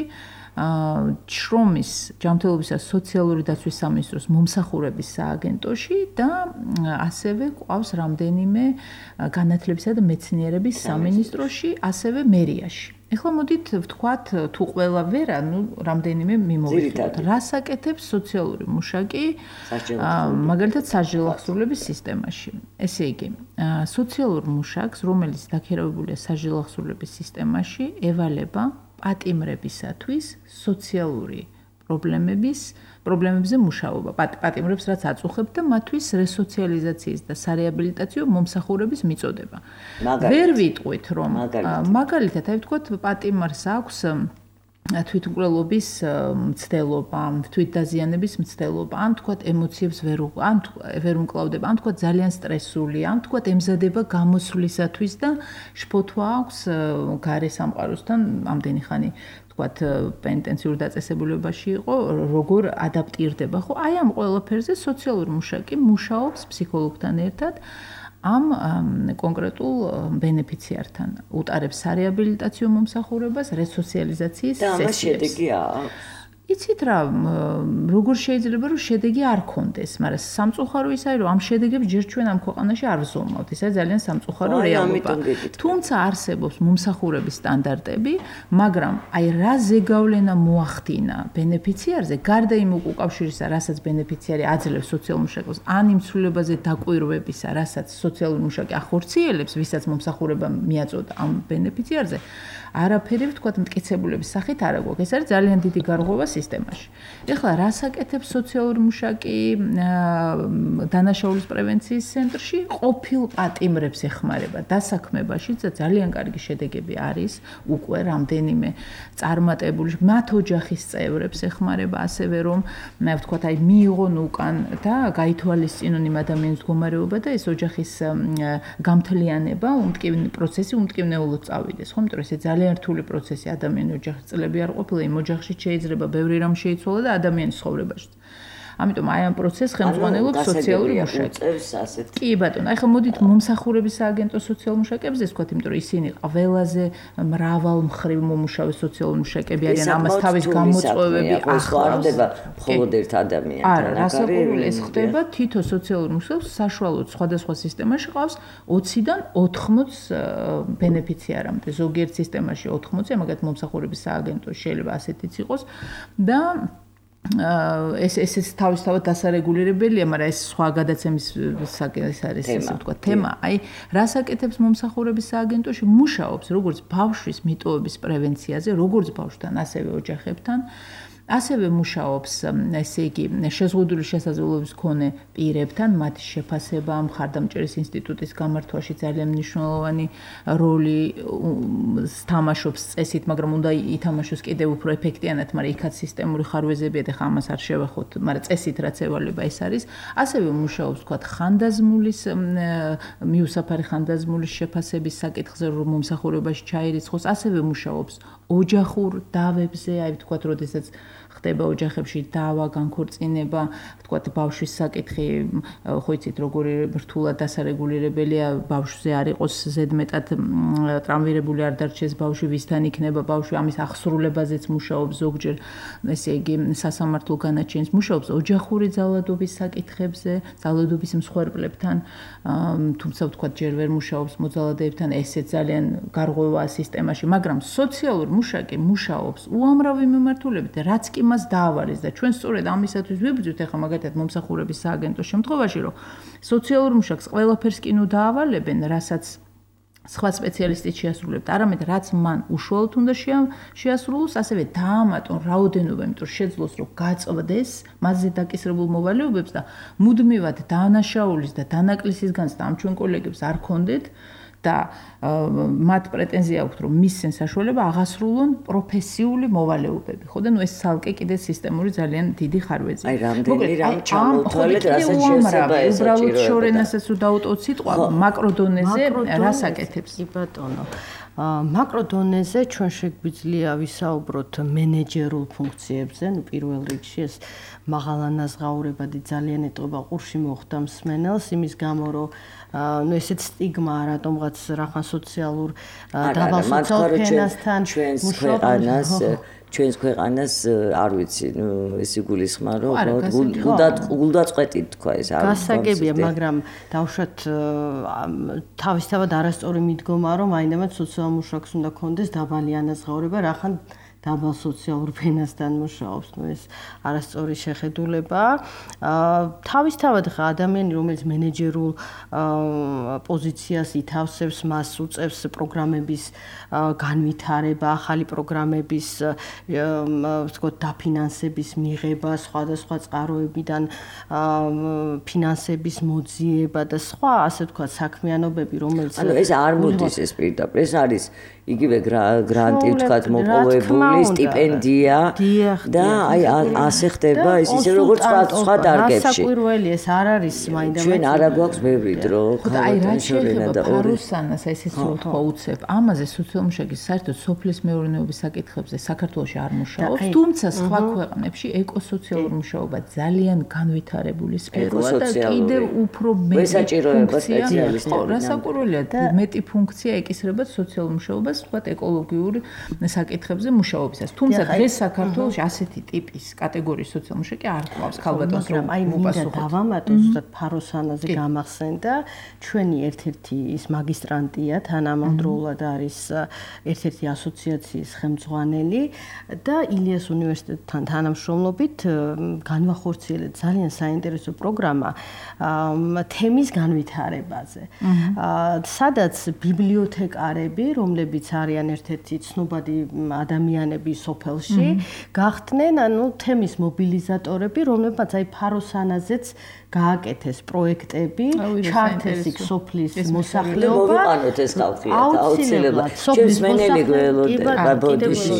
[SPEAKER 4] შრომის, ჯანმრთელობისა სოციალური დაცვის სამინისტროს მომსახურების სააგენტოში და ასევე ყავს რამდენიმე განათლებისა და მეცნიერების სამინისტროში, ასევე მერიაში. ეხლა მოდით ვთქვათ, თუ ყველა ვერა, ნუ რამდენიმე მიმოვიხილოთ. რას აკეთებს სოციალური მუშაკი, მაგალითად საჯილო აღსრულების სისტემაში. ესე იგი, სოციალურ მუშაკს, რომელიც დაქირავებულია საჯილო აღსრულების სისტემაში, ევალება პატიმრებისათვის სოციალური პრობლემების პრობლემებზე მუშაობა. პატიმრებს რაც აწუხებთ და მათთვის რესოციალიზაციის და სარეაბილიტაციო მომსახურების მიწოდება. ვერ ვიტყვით, რომ მაგალითად, აი ვთქვათ, პატიმარს აქვს თვითმკვლელობის მცდელობა, თვითდაზიანების მცდელობა, ან თქვათ ემოციებს ვერ ან ვერ უმკლავდება, ან თქვათ ძალიან სტრესული, ან თქვათ ემზადება გამოსვლისათვის და შფოთვა აქვს გარე სამყაროსთან ამდენი ხანი თქვათ პენიტენციურ დაწესებულებაში იყო, როგორ ადაპტირდება, ხო? აი ამ ყველაფერზე სოციალური მუშაკი მუშაობს ფსიქოლოგთან ერთად. ამ კონკრეტულ ბენეფიციართან უტარებს სარეაბილიტაციო მომსახურებას, რესოციალიზაციის სესიებს. და ამ შედეგი აქვს. იცით რა, როგორ შეიძლება რომ შედეგი არ ქონდეს, მაგრამ სამწუხარო ის არის, რომ ამ შედეგებს ჯერ ჩვენ ამ ქვეყანაში არ ვზომავთ. ეს არის ძალიან სამწუხარო რეალობა. თუმცა არსებობს მომსახურების სტანდარტები, მაგრამ აი რა ზეგავლენა მოახდინა ბენეფიციარზე, გარდა იმ უკავშირისა, რასაც ბენეფიციარი აძლევს სოციალურ მუშაკს, ან იმ ცვლილებაზე დაკვირვებისა, რასაც სოციალური მუშაკი ახორციელებს, ვისაც მომსახურება მიაწოდა ამ ბენეფიციარზე, არაფერი ვთქვათ მტკიცებულების სახით არ აგვაქვს. ეს არის ძალიან დიდი გარღვევა სისტემაში. ეხლა რას აკეთებს სოციალური მუშაკი დანაშაულის პრევენციის ცენტრში? ყოფილ პატიმრებს ეხმარება დასაქმებაში და ძალიან კარგი შედეგები არის უკვე რამდენიმე წარმატებული მათ ოჯახის წევრებს ეხმარება, ასევე რომ ვთქვათ, აი მიიღონ უკან და გაითვალისწინონ იმ ადამიანის მდგომარეობა და ეს ოჯახის გამთლიანება, უმტკივნე პროცესი უმტკივნეულოდ წავიდეს, ხო? იმიტომ რომ ეს ძალიან რთული პროცესი ადამიანის ოჯახის წლები არ ყოფილა, იმ ოჯახში შეიძლება ბევრი რამ შეიცვალა და ადამიანის ცხოვრებაში. ამიტომ აი ამ პროცესს ხელმძღვანელობს სოციალური მუშაკი. კი ბატონო, აი ხა მოდით მომსახურების სააგენტოს სოციალურ მუშაკებზე ვთქვათ, იმიტომ რომ ისინი ყველაზე მრავალმხრივ მომუშავე სოციალური მუშაკები არიან, ამას თავის გამოწვევები
[SPEAKER 2] ახლავდება მხოლოდ ერთ ადამიანთან.
[SPEAKER 4] არა, რასაკვირველი ეს ხდება თითო სოციალურ მუშაკს საშუალოდ სხვადასხვა სისტემაში ყავს ოციდან ოთხმოც ბენეფიციარამდე. ზოგიერთ სისტემაში ოთხმოცი, მაგათ მომსახურების სააგენტოში შეიძლება ასეთიც იყოს და ეს ეს თავისთავად დასარეგულირებელია, მაგრამ ეს სხვა გადაცემის საკითხი არის, ესე ვთქვათ, თემა. აი, რას აკეთებს მომსახურების სააგენტოში? მუშაობს როგორც ბავშვის მიტოვების პრევენციაზე, როგორც ბავშვთან, ასევე ოჯახებთან. ასევე მუშაობს, ესე იგი, შეზღუდული შესაძლებლობის მქონე პირებთან, მათი შეფასება მხარდამჭერის ინსტიტუტის გამართვაში ძალიან მნიშვნელოვანი როლი თამაშობს წესით, მაგრამ უნდა ითამაშოს კიდევ უფრო ეფექტიანად, მაგრამ იქაც სისტემური ხარვეზებია და ხა ამას არ შევეხოთ, მაგრამ წესით რაც ევალება ეს არის. ასევე მუშაობს, თქვათ, ხანდაზმულის მიუსაფარი ხანდაზმულის შეფასების საკითხზე, რომ მომსახურებაში ჩაირიცხოს, ასევე მუშაობს ოჯახურ დავებზე, აი ვთქვათ, როდესაც ხდება ოჯახებში დავა, განქორწინება, ვთქვათ, ბავშვის საკითხი, ხო იცით, როგორი რთულად დასარეგულირებელია, ბავშვზე არ იყოს ზედმეტად ტრავმირებული არ დარჩეს ბავშვი, ვისთან იქნება ბავშვი, ამის აღსრულებაზეც მუშაობს ზოგჯერ, ესე იგი, სასამართლო განაჩენს მუშაობს ოჯახური ძალადობის საკითხებზე, ძალადობის მსხვერპლებთან, თუმცა ვთქვათ, ჯერ ვერ მუშაობს მოძალადეებთან, ესეც ძალიან გარღვევაა სისტემაში, მაგრამ სოციალურ მუშაკი მუშაობს უამრავი მიმართულებით, რაც კი მას დაავალეს და ჩვენ სწორედ ამისათვის ვიბრძვით ახლა მაგათად მომსახურების სააგენტოს შემთხვევაში, რომ სოციალურ მუშაკს ყველაფერს კი ნუ დაავალებენ, რასაც სხვა სპეციალისტი შეასრულებთ, არამედ რაც მან უშუალოდ უნდა შეასრულოს, ასევე დაამატონ რაოდენობა, იმიტომ შეძლოს რომ გაწვდეს მასზე დაკისრებულ მოვალეობებს და მუდმივად დანაშაულის და დანაკლისის განცდა ამ ჩვენ კოლეგებს არ ქონდეთ და მათ პრეტენზია აქვთ, რომ მისცენ საშუალება აღასრულონ პროფესიული მოვალეობები. ხო და ნუ ეს ცალკე კიდე სისტემური ძალიან დიდი ხარვეზია.
[SPEAKER 2] აი რამდენი რამ ჩამოთვალეთ, რასაც შეესაბა ეს
[SPEAKER 4] უბრალოდ შორენასაც რო დაუტოვოთ სიტყვა, მაკროდონეზე რას აკეთებს?
[SPEAKER 3] კი ბატონო. მაკროდონეზე ჩვენ შეგვიძლია ვისაუბროთ მენეჯერულ ფუნქციებზე, ნუ პირველ რიგში ეს მაღალანაზღაურებადი ძალიან ეტყობა ყურში მოხვდა მსმენელს, იმის გამო რომ ნუ ესეც სტიგმაა რატომღაც რახან სოციალურ დაბალ სოციალურ ფენასთან
[SPEAKER 2] ჩვენს ქვეყანას ჩვენს ქვეყანას არ ვიცი, ნუ ეს იგულისხმარ რომ გულდად გულდაწყვეტი თქვა ეს არ
[SPEAKER 3] გასაგებია, მაგრამ დავუშვათ თავისთავად არასწორი მიდგომა რომ აინდამაც სოციალურ მუშაკს უნდა კონდეს დაბალი ანაზღაურება, რახან დაბალ სოციალურ ფენასთან მუშაობს, ნუ ეს არასწორი შეხედულება. თავისთავად ხა ადამიანი, რომელიც მენეჯერულ პოზიციას ითავსებს, მას უწევს პროგრამების განვითარება, ახალი პროგრამების ვთქვათ, დაფინანსების მიღება, სხვადასხვა წყაროებიდან ფინანსების მოძიება და სხვა, ასე ვთქვათ, საქმიანობები, რომელიც
[SPEAKER 2] ანუ ეს არ მოდის ეს პირდაპირ, ეს არის იგივე გრანტი ვთქვათ მოპოვებული სტიპენდია და აი ასე ხდება ის ისე როგორც სხვა დარგებში.
[SPEAKER 3] გასაკვირველი ეს არ არის მაინდა
[SPEAKER 2] ჩვენ არა გვაქვს ბევრი დრო
[SPEAKER 4] ხალხთან შორენა და პარუსანას ესეც ვთქვა უცებ. ამაზე სოციალურ მუშაკის საერთოდ სოფლის მეურნეობის საკითხებზე საქართველოში არ მუშაობს, თუმცა სხვა ქვეყნებში ეკოსოციალურ მუშაობა ძალიან განვითარებული სფეროა და კიდევ უფრო მეტი ფუნქცია, რასაკვირველია, მეტი ფუნქცია ეკისრება სოციალურ მუშაობას ვთქვათ ეკოლოგიური საკითხებზე მუშაობისას. თუმცა დღეს საქართველოში ასეთი ტიპის კატეგორიის სოციალურ მუშაკი არ გვაქვს ქალბატონს რომ
[SPEAKER 3] აი მინდა დავამატო ზუსტად ფაროსანაზე გამახსენდა ჩვენი ერთ-ერთი ის მაგისტრანტია თანამედროვეულად არის ერთ-ერთი ასოციაციის ხელმძღვანელი და ილიას უნივერსიტეტთან თანამშრომლობით განვახორციელეთ ძალიან საინტერესო პროგრამა თემის განვითარებაზე. სადაც ბიბლიოთეკარები, რომლებიც არიან ერთ-ერთი ცნობადი ადამიანები სოფელში, გახდნენ ანუ თემის მობილიზატორები, რომლებმაც აი ფაროსანაზეც გააკეთეს პროექტები, ჩართეს იქ სოფლის მოსახლეობა.
[SPEAKER 2] მოვიყანოთ ეს ხალხი, აუცილებლად. სოფლის მენელი გველოდა ბოდიში.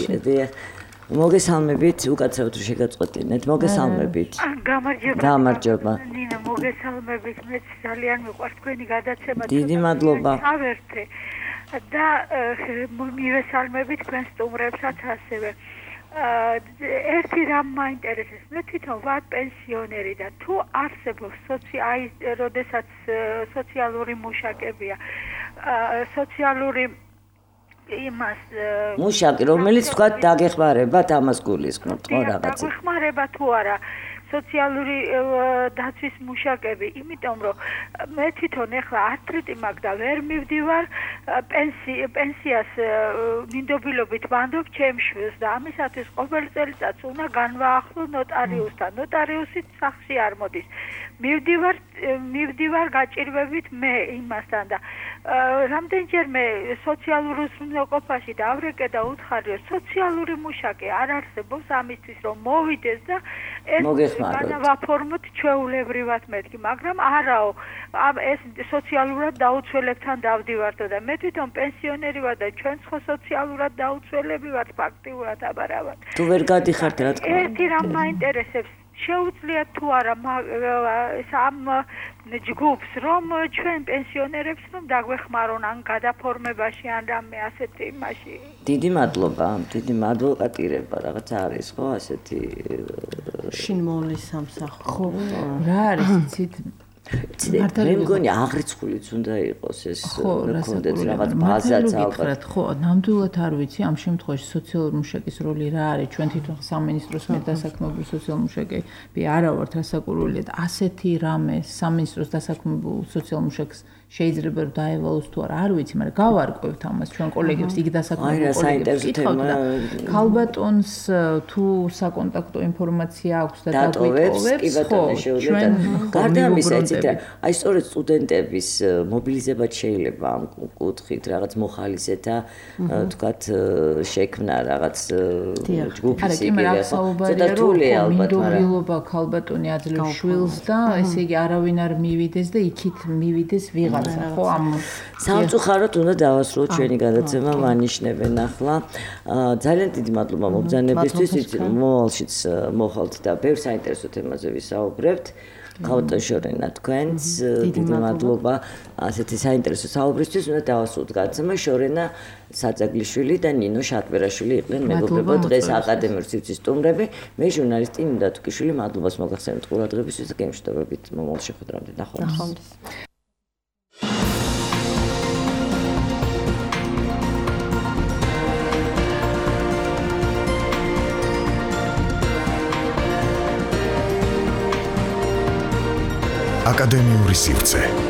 [SPEAKER 2] მოგესალმებით, უკაცრავად რომ შეგაწყვეტინეთ, მოგესალმებით.
[SPEAKER 5] გამარჯობა.
[SPEAKER 2] გამარჯობა.
[SPEAKER 5] ნინა, მოგესალმებით, მე ძალიან მიყვარს თქვენი გადაცემა.
[SPEAKER 2] დიდი მადლობა.
[SPEAKER 5] ავერთე. და მივესალმები თქვენ სტუმრებსაც ასევე. ერთი რამ მაინტერესებს, მე თვითონ ვარ პენსიონერი და თუ არსებობს სოციალ როდესაც სოციალური მუშაკებია, სოციალური იმას
[SPEAKER 2] მუშაკი, რომელიც თქვა დაგეხმარებათ ამას გულისხმობთ, ხო რაღაცა.
[SPEAKER 5] დაგეხმარება თუ არა სოციალური დაცვის მუშაკები, იმიტომ რომ მე თვითონ ახლა არტრიტი მაქვს და ვერ მივდივარ პენსიას მინდობილობით ვანდობ ჩემს შვილს და ამისათვის ყოველ წელიწადს უნდა განვაახლო ნოტარიუსთან. ნოტარიუსით სახლში არ მოდის. მივდივარ მივდივარ გაჭირვებით მე იმასთან და რამდენჯერმე სოციალურ უზრუნველყოფაში დავრეკე და უთხარი რომ სოციალური მუშაკი არ არსებობს ამისთვის რომ მოვიდეს და ეს განავაფორმოთ ჩვეულებრივად მეთქი, მაგრამ არაო, ეს სოციალურად დაუცველებთან დავდივარდო და მე თვითონ პენსიონერი ვარ და ჩვენ ხო სოციალურად დაუცველები ვართ ფაქტიურად აბარავად.
[SPEAKER 2] თუ ვერ გადიხართ რა თქმა უნდა.
[SPEAKER 5] ერთი რამ მაინტერესებს
[SPEAKER 7] შეუძლიათ თუ არა ამ ჯგუფს რომ ჩვენ პენსიონერებს რომ დაგვეხმარონ ან გადაფორმებაში ან რამე ასეთი იმაში.
[SPEAKER 2] დიდი მადლობა, დიდი ადვოკატირება რაღაც არის ხო ასეთი
[SPEAKER 3] შინმოვლის სამსახური.
[SPEAKER 4] ხო, რა არის იცით?
[SPEAKER 2] მე მგონი აღრიცხულიც უნდა იყოს ეს კონდეც რაღაც ბაზაც ალბათ.
[SPEAKER 4] ხო, ნამდვილად არ ვიცი ამ შემთხვევაში სოციალური მუშაკის როლი რა არის. ჩვენ თვითონ სამინისტროს მიერ დასაქმებულ სოციალურ მუშაკები არა ვართ რასაკურველი და ასეთი რამე სამინისტროს დასაქმებულ სოციალურ მუშაკს შეიძლება რომ დაევალოს თუ არა არ ვიცი, მაგრამ გავარკვევთ ამას ჩვენ კოლეგებს იქ დასაქმებულ კოლეგებს კითხავთ და ქალბატონს თუ საკონტაქტო ინფორმაცია აქვს და დაგვიტოვებს ხო ჩვენ
[SPEAKER 2] გარდა ამისა აი სწორედ სტუდენტების მობილიზება შეიძლება ამ კუთხით რაღაც მოხალისეთა თქვათ შექმნა რაღაც ჯგუფის იგივე ხო ცოტა რთულია ალბათ მაგრამ
[SPEAKER 4] მინდობილობა ქალბატონი აძლევს შვილს და ესე იგი არავინ არ მივიდეს და იქით მივიდეს ვიღაცა ხო ამ
[SPEAKER 2] სამწუხაროდ უნდა დავასრულოთ ჩვენი გადაცემა ვანიშნებენ ახლა ძალიან დიდი მადლობა მობრძანებისთვის იცი მოვალშიც მოხალთ და ბევრ საინტერესო თემაზე ვისაუბრებთ ქალბატონ შორენა თქვენს დიდი მადლობა ასეთი საინტერესო საუბრისთვის უნდა დავასრულოთ გადაცემა შორენა საძაგლიშვილი და ნინო შატბერაშვილი იყვნენ მეგობრებო დღეს აკადემიურ სივრცის სტუმრები მე ჟურნალისტი ნინო თუკიშვილი მადლობას მოგახსენებთ ყურადღებისთვის და გემშვიდობებით მომავალ შეხვედრამდე ნახვამდის
[SPEAKER 1] აკადემიური სივრცე